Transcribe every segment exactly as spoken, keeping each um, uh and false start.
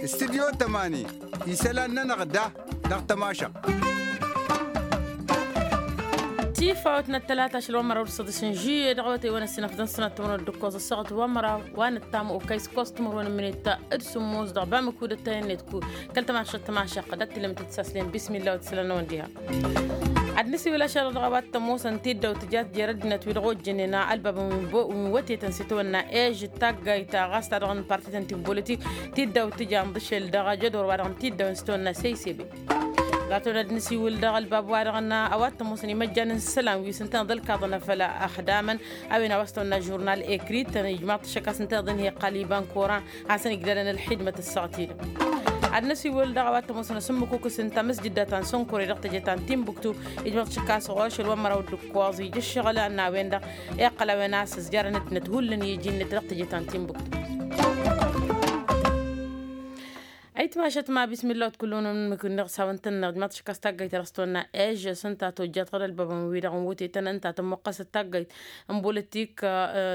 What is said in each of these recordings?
Studyo tămani isălan-nănăɣ da dăɣ-tămašăɣt. Tifawt n-ăttălata ašăl wa n-măraw d-săḍis n-žuye dăɣ-awătay wa n-ăssinăf d-ănsinăt timǝrwen d-ǝkkoẓ ăssaɣăt wa n-măraw wa n-ăttam okăy s-ǝkkoẓ timǝrwen n-minit d-sǝmmos dăɣ-bamǝku d-ăttăyăn-net ku kăl-tămašăɣt tămašăɣt d-ăttilămtăt s-aslin bismillah wa t-sălăn-awăn diha. Ad-nǝsiwǝl ašăl dăɣ-a-wa t-ămoosăn tiddaw tǝjat jer-ăddinăt wi dăɣ-ojjănen ălbab n-wătetăn s-itawănna ežăt taggayt ɣas ta dăɣ-nǝpartităn ti n-politik tiddaw tǝja n-dăšel dăɣ-ajădor wa dăɣ-nǝtiddaw n-sitawănna seysebe. Gatăwăn ad-nǝsiwǝl dăɣ-ălbab wa dăɣ-nǝ a-wa t-ămoosăn imăjjan n-isălan wi s-ǝntăneḍ ălkaḍăn afăl ăxdamăn a-wen a-wa s-tawănna žurnal ekrit tăn-ijmaḍ-t ašăk a-s ǝntăneḍ inheqqal iba n-koran hasăn-igdălăn ălxidmăt ăssaɣăt-i-dăɣ. Ad-năsiwǝl dăɣ-a-wa t-ămoosăn asǝmmǝkukǝs n-tamǝsjǝdda ta n-sănkure dăɣ-teje ta n-tinbuktu ijmăḍ-t ašăk a-s ɣur-ašăl wa n-măraw d-ǝkkoẓ ija ǝššăɣǝl a n-a-wen-dăɣ iqqăl a-wen a-s ăzjarăn ăddinăt hullan i-iji-net dăɣ-teje ta n-tinbuktu. Ayǝtmašăt ma bismillah wa t-kull-unăn mǝkǝnneɣ s-hawăn-tăn-neɣ ijmăḍ-t ašăk a-s taggayt ta dăɣ-s tawănna ežăs ǝnta tojjat ɣur-ălbabăn-wi-dăɣ n-wătetăn ǝnta tămmuqqăsăt taggayt n-bolitik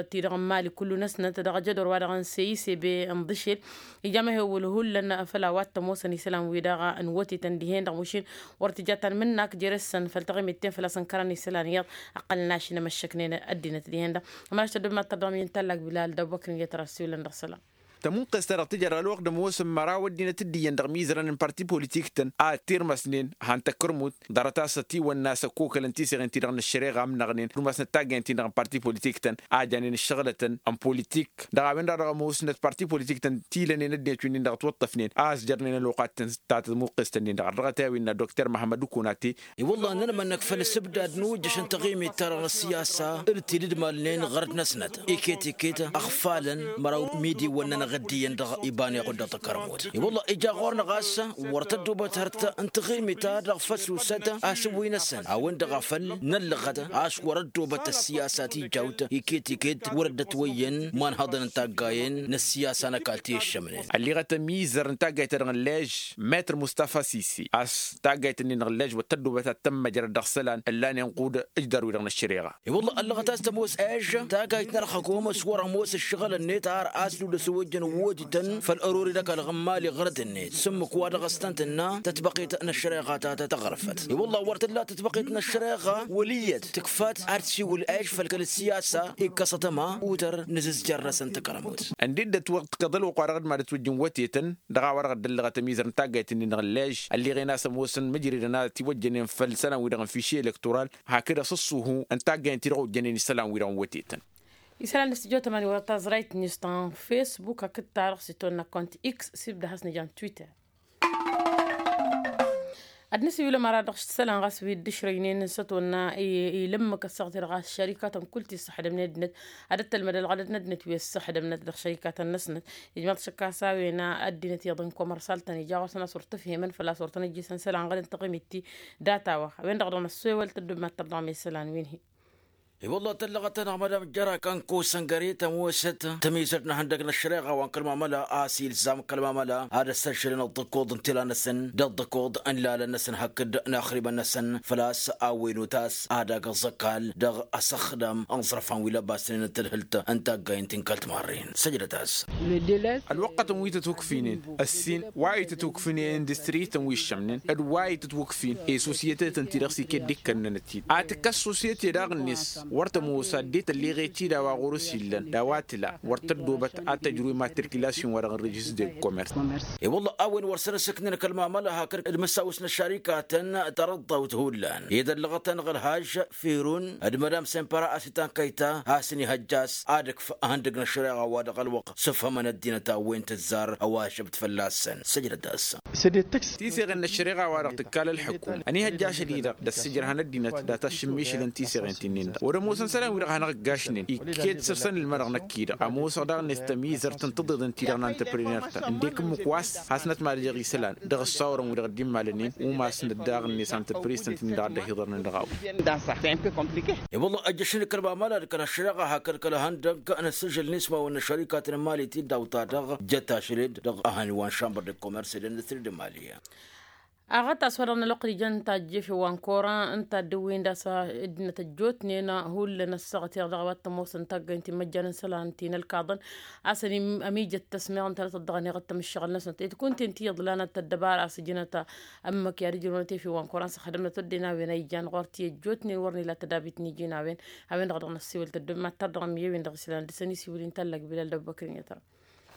ti-dăɣ n-mali kullu-năsnăt dăɣ-ajădor wa dăɣ-n seyise be n-ḍǝšel ija mehewǝl hullan făl a-wa t-ămoosăn isălan-wi-dăɣ n-wătetăn dihen-dăɣ mašin wăr tǝja tanmǝnnak jere-săn făll-taɣimit-ten făl-a-s ǝnkărăn isălan iyyăḍ ăqqălăn ašinămăššăknen ăddinăt dihen-dăɣ. Ămăraš tăddomat tărdăm i-ǝnta ăllag bilal d-abubăkr n-iyyăt ărăssiwǝlăn dăɣ-isălan. Tămuqqes-ta-dăɣ tǝjăr ălwăqq d-ămoosăn măraw ăddinăt dd-iyyăn dăɣ-imizărăn n-parti politik-tăn a ăttirmăsnen han tăkkărmut ḍarăt-as ătiwănna a-s ăkkokălăn tiseɣen-ti-dăɣ n-ăššăreɣa ǝmnăɣnen ǝddumasnăt taggayăn-tin-dăɣ n-parti politik-tăn a janen ǝššăɣlătăn n-politik dăɣ-a-wen-dăɣ dăɣ-ămoosnăt parti politik-tăn tilănen ăddinăt wi-nin-dăɣ ătwăṭṭăfnen a ăsjărnen ălwăqq ad-tăn-s ta tămuqqes-tăn-nin-dăɣ ărdăɣăt i-a-wen n-ad-dokter măhămmăd ukunate. I-wălla ănnănămănnăk făll-asǝbdad n-ujjăš n-taɣimit-ta-dăɣ n-ăssiyasa d-tidǝdmalnen ɣărăt-năsnăt iket-iket ăɣfalăn măraw n-imidiwăn-nănăɣ dd-iyyăn dăɣ-iban i-ɣuddăɣ takărmut. I-wălla ija ɣur-năɣ a-s wăr tăddubăt hărăt n-taɣimit-ta-dăɣ făll-susăt asǝwǝy-năsăn a-wen-dăɣ a făl năllăɣăt a-s wăr-ăddubăt ăssiyasa tijawt iket-iket wăr dd-ătwăyyăn imanhăḍăn n-taggayen n-ăssiyasa n-ăkall ti ǝššămnen. Ălliɣăt ămizăr n-taggayt-ta-dăɣ n-lež metr mustafa sisi a-s taggayt-nin-dăɣ n-lež wăr tăddubăt ad-tămmăjrăd dăɣ-isălan ǝllanen ɣud ǝjdar-wi-dăɣ n-ăššăreɣa. I-wălla ăllăɣăt a-s tămoos ež taggayt n-ărxăkom s-wăr-ămoos ǝššăɣǝl-net har a-s lulăs ojăn wotităn făll-ărori n-ăkall ɣǝmmali ɣărăt-net s-ǝmmǝk wa dăɣ-s tăn-tǝnna tătbăqet n-ăššăreɣa ta ta tăɣrǝfăt. I-wălla wăr tǝlla tătbăqet n-ăššăreɣa wăl' iyyăt tǝkfat ad-tǝsiwǝl ež făll-kăl-ăssiyasa ikkăsăt ăma utăr n-azǝzjăr-năsăn takărmut. Ǝndǝddăt wăr t-kăḍăl wăqq wa dăɣ-dd-madăt wăjjǝn wătetăn dăɣ-a-wa-dăɣ dd-ăllăɣăt ămizăr n-taggayt-nin-dăɣ n-lež ălliɣen a-s ămoosăn măjridăn a ătiwăjjănen făll-isălan-wi-dăɣ n-fiši elektoral hakd asǝṣṣuhu n-taggayt-ti-dăɣ ojjănen isălan-wi-dăɣ n-wătetăn. Isălan n-stujo tămani wăr-taẓrayt n-istan facebook hakd ta-dăɣ s-itwănna kont x s-ibda has-nǝja n-twitter. Ad-nǝsiwǝl ămăra dăɣ-s isălan ɣas wi dd-ǝšrăynen n-sătwănna i-lǝmmǝk ăssaɣăt-i-dăɣ a-s šărikatăn kull ti ǝssăxdămnen ăddinăt ad-ăttălmăd ălɣădăt n-ăddinăt wi ăssăxdămnăt dăɣ-šărikatăn-năsnăt. Ijmaḍ šăkk a-s a-wen ăddinăt iyyăḍ n-komărsal-tăn ija ɣur-săn a-s wăr t-ǝfhemăn făl-a-s wăr tăn-ăjjisăn isălan ɣădăn taɣimit ti data-wa a-wen-dăɣ dăɣ-năssewăl tăddumat tărdăɣ n-isălan wi n-hi. I-wălla tăllăɣăt-anăɣ madam jăra kănkosăn găre tămoosăt tămizărt n-ehăndăg n-ăššăreɣa wa n-kăl-mamăla a-s ilzam kăl-mamăla ad-ăssăžžălăn ăḍḍăkoḍ n-tila-năsăn d-ăḍḍăkoḍ n-lalăn-năsăn hakd n-axribăn-năsăn făl-a-s a-wen utas ad-agǝẓ ăkall dăɣ-asăxdam n-iẓrăfan wi lăbasnen n-tadhǝlt n-taggayen ti n-kăl-timarren săjdăt-as. Ălwăqqătăn wi tăt-okfinen ăssin wa itǝtwǝkfǝn i-industri-tăn wi ǝššămnen d-wa itǝtwǝkfǝn i-sosiyete-tăn ti-dăɣ s-iket d-ikkănnănăt-dd a tǝkka s-sosiyete daɣ-net wăr tămoos ad-dd-tălleɣ i-tid a-wa ɣur-s illăn d-a-wa tǝla wăr tăddoobăt ad-tăjru i-matrikilasiyon-wa-dăɣ n-rejis de komers. I-wălla a-wen wăr săn ăsǝknen kăl-mamăla hakd d-imǝssawǝs n-ăššarikatăn tarăḍḍawt hullan ed ăllăɣăt-anăɣ ălhaj firun d-madam sempăra a-s itankăyta a-s ănihăjja a-s ad-ǝkf ehăndăg n-ăššăreɣa wa dăɣ-ălwăqq s-ǝfhămăn ăddinăt a-wen tǝzzar ăwašăbt fălla-săn săjdăt-as. Tiseɣen n-ăššăreɣa-wa-dăɣ tǝkkal ălḥǝkum ănihăjja ašăl-i-dăɣ d-ăssijărhan ăddinăt data šǝmmišǝlăn tiseɣen ti-nin-dăɣ wăr-ămoosăn isălan-wi-dăɣ a hanăɣ-ǝggašnen ikket s-ăbsăn ǝlmădăɣ năkk-i-dăɣ ămoosăɣ daɣ-net tămizărt n-tǝḍeḍ ǝnta-i-dăɣ n-antăpriner-tăn ǝndek ǝmmǝk wa s-hasnăt madăjăɣ isălan dăɣ-ăssawărăn-wi-dăɣ dd-immalănen umasnăt daɣ-net antăpriztăn-tăn-in-dăɣ ad-dd-ăhiḍărnen dăɣ-a-wen. I-wălla ăjjăšăn d-kăl-mamăla d-kăl-ăššăreɣa hakd kăl-ehăndăg n-asǝžžǝl n-ismawăn n-ăššărikatăn n-imali ti dd-awta-dăɣ jăt ašăl-dd dăɣ-ehăn wa n-šambăr d-komers d-industri d-imali. Aɣăt a-s wa-dăɣ n-ălwăqq d-ijăn tajjef i-wa n-kora ǝnta a dd-ǝwwin d-a-s ǝddinăt ăjjootnen hullan ăssaɣăt i-dăɣ a-wa t-ămoosăn taggaynt n-imăjjan n-isălan ti n-ălkaḍăn a-s ămijăt tăsmeɣ ǝnta a dăɣ-tăddăɣăneɣ ǝttăm ǝššăɣǝl-năsnăt ed kunta ǝnta iyyăḍ lanăt ăddăbara a-s ǝjǝnăt ămmăk i-ad-ǝjrǝwăn tef i-wa n-kora n-săxdămnăt ăddinăt a-wen a ijan ɣur-t i-ăjjootnen wăr n-ila tădabit n-iji n-a-wen. A-wen-dăɣ dăɣ-năssiwǝl tăddobem ad-tărdăɣăm i-wen-dăɣ isălan dăɣ-săn isiwǝl-in tallăg bilal d-ăbbăkăr n-iyyăt.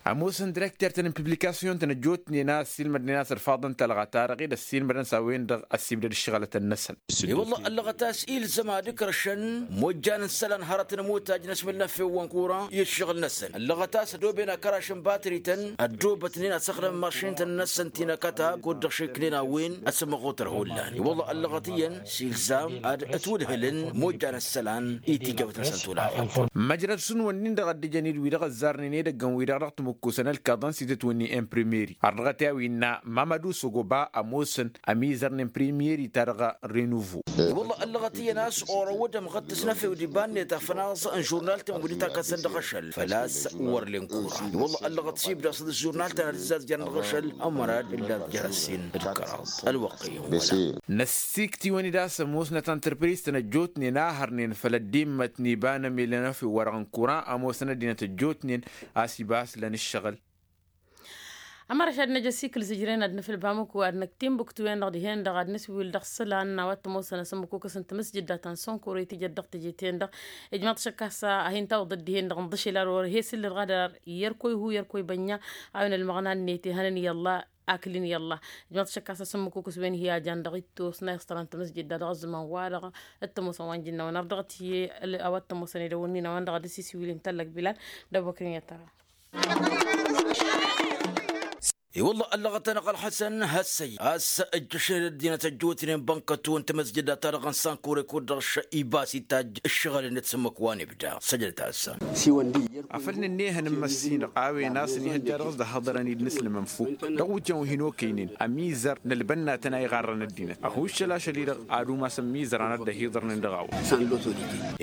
Ămoosăn direkter-tăn n-publikasyon-tăn ăjjootnen a ăssiilmădnen a-s ărfaḍăn talɣa ta-dăɣ-dd ăssiilmădăn s-a-wen-dăɣ ăssibdăd ǝššăɣǝlătăn-năsăn. I-wălla ăllăɣăt a-s ilzăm ad-ǝkrăšăn mojjan n-isălan hărătăn ămotajj n-asmǝl n-efew wa n-kura i-ǝššăɣǝl-năsăn ăllăɣăt a-s ădoben akăraš n-batrităn ăddoobătnen ad-săxdăm mašintăn-năsăn ti n-akăta kud-dăɣ šiknen a-wen ăsmăɣutăr hullan i-wălla ăllăɣăt iyyăn s-ilzam ad-ătwǝdhǝlăn mojjan n-isălan i-tijawt-năsăn tulaɣăt. Măjrăd šund wănnin-dăɣ ăddijăn-dd wi-dăɣ ăzzarnen edăggăn wi-dăɣ dăɣ-tǝmǝkkusăn ălkaḍăn s-itǝtwǝnni n-primeri ărdăɣăt i-a-wi ǝnna mamădu sogoba ămoosăn ămizărnen primeri-ta-dăɣ renuvo. I-wălla ăllăɣăt iyyăn a-s orăwăd ămɣăttǝs n-efew d-iba-net afănaẓ n-žurnal-tăn wi dd-takăsăn dăɣ-ašăl făl-a-s wăr len kura i-wălla ăllăɣăt s-ibda s-dd-žurnal-tăn ad-ǝzzazjărăn dăɣ-ašăl ămărad ǝllan-t jer-ăssin d-kăraḍ. Ălwăqq iyyăn wăla. Năssiikt'-iwăn-dd a-s ămoosnăt antrăpriz-tăn ăjjootnen a hărnen făll-ăddimmăt n-iba n-emel n-efew wa-dăɣ n-kura ămoosăn ăddinăt ăjjootnen a-s iba a-s lăn ǝššăɣǝl. Ămăra šad năj ăsikǝl zǝjren ad-nǝfǝl bamăku ad-năk timbuktu-en-dăɣ dihen-dăɣ ad-nǝswil dăɣ-isălan n-a-wa t-ămoosăn asǝmmǝkukǝs n-tamǝsjǝdda ta n-sănkure tijăt dăɣ-teje-ten-dăɣ. Ijmaḍ-t šăkk a-s ad-hin-tawǝḍăt dihen-dăɣ ǝnḍǝšel ar wăr he-s ǝllăɣ ad-ar yerkoy hu yerkoy bănna a-wen ălmăɣna-net ihănăn i-ălla. Akǝl-in i-ălla ijmaḍ-t šăkk a-s asǝmmǝkukǝs wen hi-ajan dăɣ-ittus n-a iɣsărăn tamǝsjǝdda dăɣ-ăzzăman-wa-dăɣ t-ămoosăn wa n-ijǝnnawăn ardăɣăt i-a-wa t-ămoosăn edăwănnin a-wen-dăɣ ad-ăsiswil-in tallăg bilal. D-abăkrin i-ad-tăra. I-wălla ăllăɣăt-anăɣ ălḥăsăn hăssăy a-s ǝjjăšen ăddinăt ăjjootnen bănkătu n-tamăsjăda-ta-dăɣ n-sankure kud-dăɣ iba s-itajj ǝššăɣǝl-net s-ǝmmǝk wa n-ibda săjdăt-as. Afăl nǝnnehăn n-imăssinăɣ a-wen a-s ănihăjja dăɣ-s d-ăhhăḍărăn-dd n-asǝlmǝnfuk dăɣ-iwǝtyan wi hin-okăynen ămizăr n-ălbănna tăn-a iɣarrăn ăddinăt ăhuššăl ašăl-i-dăɣ ad-umas ămmizărăn ad-dd-ăhiḍărnen dăɣ-a-wa.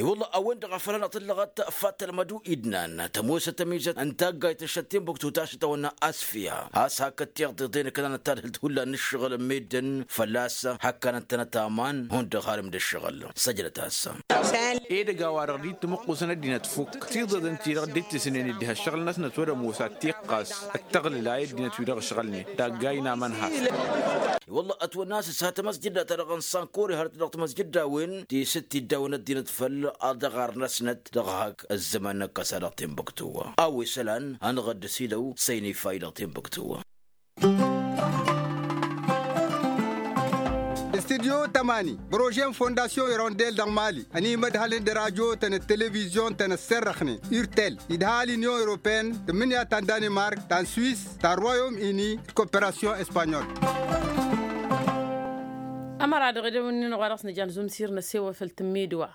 I-wălla a-wen-dăɣ a făl hanăɣ-tǝllăɣăt fattălmădu idnan tămoosăt ămizăt n-taggayt n-šăt timbuktu ta s-tawănna asfǝya a-s hakd tiɣtiḍen ǝknanăt tadhǝlt hullan n-ǝššăɣǝl n-meddǝn fălla-s hakkanăn-tănăt aman hundăɣ harǝm d-ǝššăɣǝl. Săjdăt-as. Edăgg a-wa-dăɣ dd-ittǝmǝqqusăn ăddinăt fukk tiḍeḍen-ti-dăɣ dd-ittǝsnen dd-iha ǝššăɣǝl-năsnăt wăr-ămoos ad-t-iqqas d-tăɣlǝl a i-ăddinăt-wi-dăɣ ǝšɣălnen d-aggay n-aman has. I-wălla ătwănna a-s ǝssa tamăzjǝdda-ta-dăɣ n-sankori hărăt dăɣ-tamăzjǝdda-wen ti s-dd-tiddawăn ăddinăt făll-aḍăɣar-năsnăt dăɣ-hak ăzzăman n-ăkkăsa dăɣ-timbuktu. A-wa isălan hanăɣ-dd-ăsidăw s-ăynifay dăɣ-timbuktu. Studyo tămani brože n-fondasyon irondel dăɣ-mali ănimădhălăn d-radyo-tăn d-televizyon-tăn ăsserrăxnen urtel idha l-inyon europene tǝmmǝnǝya ta n-danimark ta n-swis ta n-royom ini d-koperasyon espanyol. Ămăra dăɣ-edăwǝnnin ɣur-dăɣ s-nǝjan zumsir n-asewăfăl tǝmmidǝwa.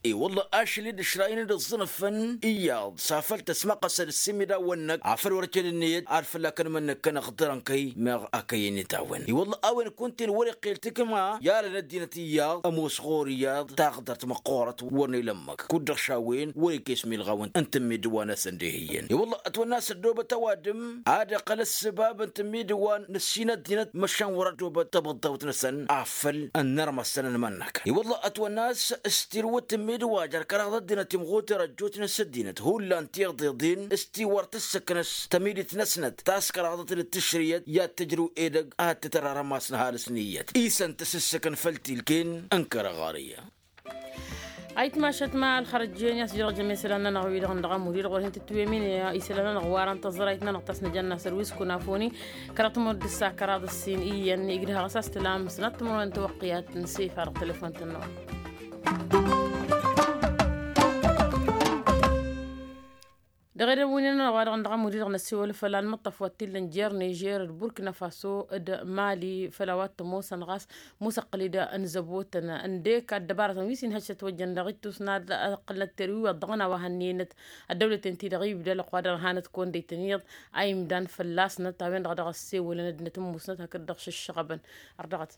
I-wălla ašăl-i d-ǝšrayăn d-ǝẓẓǝnăfăn iyyăḍ s-afăl tăsmăqqăsăd ǝssimidawăn-năk afăl wăr-ăced ǝnniyăt ad-fălla-kăn mănnăkkăn ăɣḍărăn kăy-meɣ a kăy-ǝnnit a-wen i-wălla a-wen kunta-en wăr-iqqel tikma i-alăn ăddinăt iyyăḍ ămoos ɣur-iyyăḍ taɣdărt măqqoorăt wăr n-ila ǝmmǝk kud-dăɣ šawen wăr-ikes milɣaw n-tǝmmidǝwa-năsăn d-ehǝyyăn i-wălla ătwănna a-s ăddoobăt ăwadǝm ad-iqqăl ăssăbab n-tǝmmidǝwa n-ǝssin ăddinăt măšan wăr-ăddoobăt tabǝḍḍawt-năsăn afăl ănnărmăsăn ănmănnăkăn i-wălla ătwănna a-s s-tirwǝt tǝmmidǝwa jer-kăraḍ ăddinăt imɣuter ăjjootnen s-ăddinăt hullan tiḍeḍen s-ti wăr tǝssǝknăs tămidit-năsnăt ta s-kăraḍăt d-tǝšrǝyăt i-ad-tǝjrǝw edăgg ad-tǝtăr arămas n-ăhalǝs n-iyyăt isăn tǝsǝssǝkăn făll-tilken n-kăraɣarǝyya. Ayǝtmašăt ma ălxărăjjen i-a-s jărăjăm isălan-nănăɣ wi-dăɣ n-dăɣ amud-i-dăɣ wăr hin-tǝtwǝyămin isălan-nănăɣ warăn tăẓrayt-nănăɣ ta s-nǝjănna sărwis kunafoni kăraḍ tămărdǝssa kăraḍ ǝssin iyyăn igdăh ɣas a-s tǝlam sănat tǝmărwen tawăqqiyat n-sefa dăɣ-telefon-tăn-năwăn. Dăɣ-edăwǝnnin-nănăɣ wa dăɣ-nănăɣ amud-i-dăɣ n-ăssiwăl făll-anmǝṭṭăf wa t-illa n-jer-nižer d-burkina faso d-mali făll-a-wa t-ămoosăn ɣas musăqqǝl-dd ănzăbotăn ǝndek ăddăbarătăn wi s-inhăj s-ătwăjjăn dăɣ-ittus n-ad-ăqqǝlnăt terwi wa ăḍḍăɣna wa hănnenăt ăddăwlăten-ti-dăɣ ibda ălwăqq wa dăɣ-hanăt kăwăn-dd-ăytăn iyyăḍ a imdan fălla-snăt a-wen-dăɣ dăɣ-ăssewălăn ăddinăt n-musnăt hakd-dăɣ šǝššăɣăbăn. Ărdăɣăt.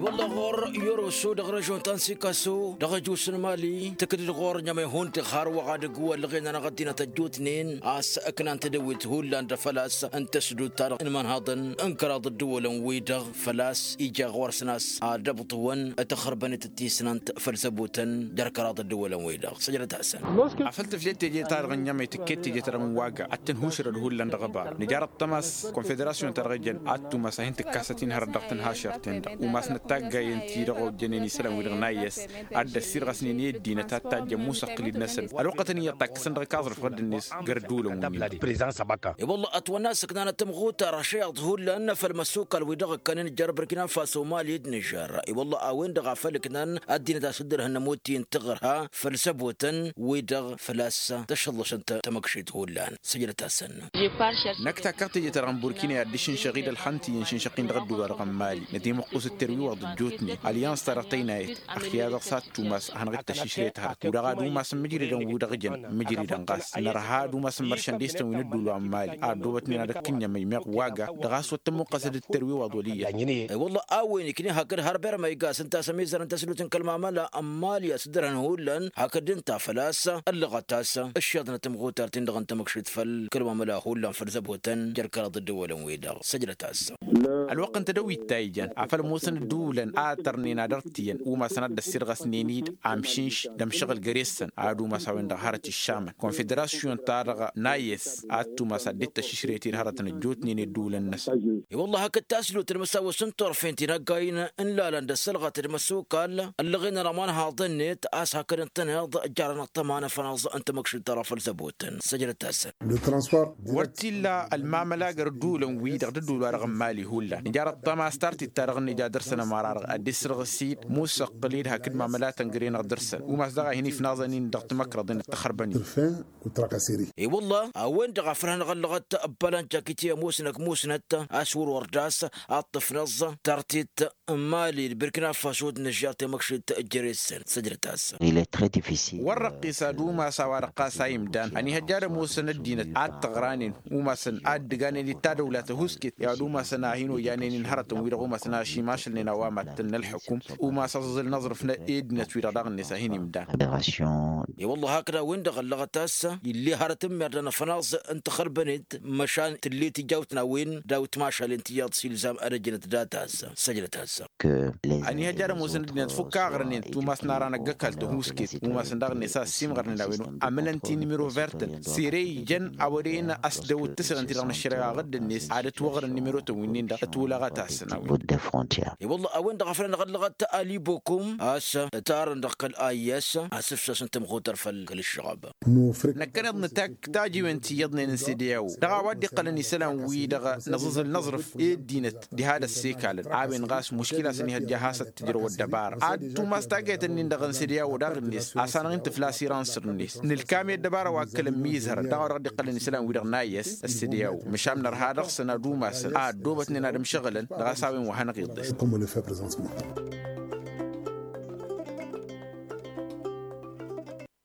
Wălla ɣur-i oroso dăɣ-režon ta n-sikaso dăɣ-ăjus n-imali tǝkdǝd ɣur-i n-emăyhun-dăɣ har wa dăɣ-wăllăɣen-anăɣ ăddinăt ăjjootnen a-s ǝknan tedăwit hullan d-făl-a-s n-tăsdut-ta-dăɣ n-imănhaḍăn n-kăraḍ ăddăwălăn-wi-dăɣ făl-a-s ija ɣur-săn a-s ad-ăbṭǝwăn tăxărbănet d-tisnant făll-săbutăn jer-kăraḍ ăddăwălăn-wi-dăɣ. Săjdăt-asăn. Afăl tǝflet teje-ta-dăɣ n-emăy tǝkket teje-ta-dăɣ n-waga ad-tǝnhušrăd hullan dăɣ-ăbar nǝjar ăṭṭămas konfederasyon-ta-dăɣ ijăn ad-tumas a hin-tǝkkasăt-in hărăt dăɣ-tǝnhašert-en-dăɣ umasnăt taggayen-ti-dăɣ ojjănen isălan-wi-dăɣ n-ayyăs ad-dd-ăssirɣăsnen i-ăddinăt ad-tajjăn musăqqǝl-dd-năsăn ălwăqqătăn iyyăt takkăsăn dăɣ-ikaẓrǝf ɣǝddǝn-net găr-dd-ulăn. Wălla ătwănna a-s ǝknanăt tămɣutar ăššăyaḍ hullan făll-imăssukal-wi-dăɣ ǝkkănen jer-bărkina faso mali d-nižer. I-wălla a-wen-dăɣ a făl ǝknan ăddinăt a-s dd-ărhǝnnăm wǝttin tǝɣrǝha făll-săbotăn-wi-dăɣ făl-a-s tăšăllăšăn tamăkšit hullan. Săjdăt-asăn. Năkk takkăɣ teje-ta-dăɣ n-burkina i-ad-dd-išǝnšăɣ-dd ălxăn ti-ijăn išǝnšăɣ-in dăɣ-ădduba-dăɣ n-mali nătimǝqqus d-terwiwăḍ ăjjootnen alyans-ta-dăɣ tăynayăt ăxya dăɣ-s ad-tumas ad-hanăɣ-dd-tăššǝšret hărăt u-dăɣ ad-umasăn mǝjridăn wi-dăɣ jăn mǝjridăn ɣas nărha ad-umasăn măršăn destăn wi n-ădduul wa n-mali ad-dd-obătnen ad-ăkk n-emăy meɣ waga dăɣ-a-s wăr tămmuqqăsăd d-terwiwăḍ wăl' iyyăt. I-wălla a-wen ikni hakd har bermăy gas ǝnta a-s ămizărăn tăslut n-kăl-mamăla n-mali a-s dd-ărhăn hullan hakd ǝnta făl-a-s ăllăɣăt-as ǝššeḍnăt tămɣutart-in-dăɣ n-tamăkšit făll-kăl-mamăla hullan făll-zăbotăn jer-kăraḍ ăddăwălăn-wi-dăɣ. Săjdăt-asăn. Ălwăqq n-tedăwit ta ijan afăl ămoosăn ădduulăn a tărnen ad-ărtiyyăn umasăn ad-dd-ăssirɣăsnen-dd amšǝnš d-ămšăɣǝl găre-săn ad-umas a-wen-dăɣ hărăt iššamăn konfederasyon-ta-dăɣ n-ayyăs ad-tumas ad-dd-tăššǝšret-dd hărătăn ăjjootnen i-ădduulăn-năsăn. I-wălla hakd taslut d-imăsawăs n-turfen ti n-ăggayn n-ilalăn d-ăssălɣăt d-imăssukal ăllăɣen ănămănhaḍ-net a-s hakd ǝntăneḍ ǝjjarăn ăṭṭăma n-afănaẓ n-tamăkšit ta dăɣ-făll-zăbotăn săjdăt-asăn. Wăr t-illa ălmamăla găr ădduulăn-wi-dăɣ d-ădduul-wa-dăɣ n-mali hullan nǝjar ăṭṭăma a-s tartit-ta-dăɣ n-ija dăr-săn ămăra-dăɣ ad-dd-isǝrɣǝs-dd musăqqǝl-dd hakd mamălatăn găre-năɣ dăr-săn umas daɣ a hin-ifnaẓăn-in dăɣ-timăkrăḍen d-taxărbănen. I-wălla a-wen-dăɣ a făl hanăɣ-ăllăɣăt ăbbalan jakiti ămoosnăk musnăt a-s wăr-wăr d-a-s a ǝṭṭǝfnăẓ tartit n-mali d-birkina faso d-nǝžžar temăkšit jere-săn săjdăt-asăn. Wăr răqqis ad-umas a-wa-dăɣ ɣas a imdan ănihăjja ad-ămoosăn ăddinăt ad-t-ăɣranen umasăn ad-dd-ǝganen d-tadăwla tăhusket i-ad-umasăn a hin-ojanen-in hărătăn-wi-dăɣ umasăn a ăšimašălnen a-wa mad-tăn n-ălḥukum umas aẓǝẓǝl n-aẓrǝf n-eddinăt-wi-dăɣ daɣ-net a hin-imdan. I-wălla hakd a-wen-dăɣ ăllăɣăt a-s ill'-e hărăt n-imerdăn afănaẓ n-taxărbănet măšan tǝll'-e tijawt n-a-wen daw-t mašalen tiyyăḍ s-ilzam ad-ăjnăt data-s. Săjdăt-asăn. Ăniihăjja ad-ămoosăn ăddinăt fukk aɣrănen tumas n-ara n-ăgg-ăkall tăhusket umasăn daɣ-net a ăssiimɣărnen a-wen amǝlăn ti n-imiro vertăn sere ijăn a wăren ăsdăwăt tǝsrăn-ti-dăɣ n-ăššăreɣa ɣǝdd-net ad-ătwăɣrǝn n-imirotăn wi-nin-dăɣ ătwǝlăɣăt-asăn a-wen. I-wălla a-wen-dăɣ a făl hanăɣ-ăllăɣăt ali bokum a-s ǝtarăn dăɣ-kăl-ayyăs asǝfsas n-tamɣutăr făll-kăl-ǝššăɣăb. Năkkăneḍ nǝtakk tajiwen ti iyyăḍnen n-sedeyawo dăɣ-a-wa dd-iqqălăn isălan-wi-dăɣ n-aẓǝẓǝl n-aẓrǝf i-ăddinăt diha d-ăssekalăn a-wen ɣas muškila a-s ăniihăjja a has-ăttǝjrăw ăddăbara ad-tumas taggayt-nin-dăɣ n-sedeyawo daɣ-net a-s hanăɣ-in-tǝfla asirănsăr-net nǝlkam i-ăddăbara wa ǝkkălăn mizhărăn dăɣ-a-wa dăɣ-dd-iqqălăn isălan-wi-dăɣ n-ayyăs ăssedeyawo măšan nărha dăɣ-săn ad-umasăn a ăddoobătnen ad-ămšăɣǝlăn dăɣ-a-s a-wen wa hanăɣ-iḍes.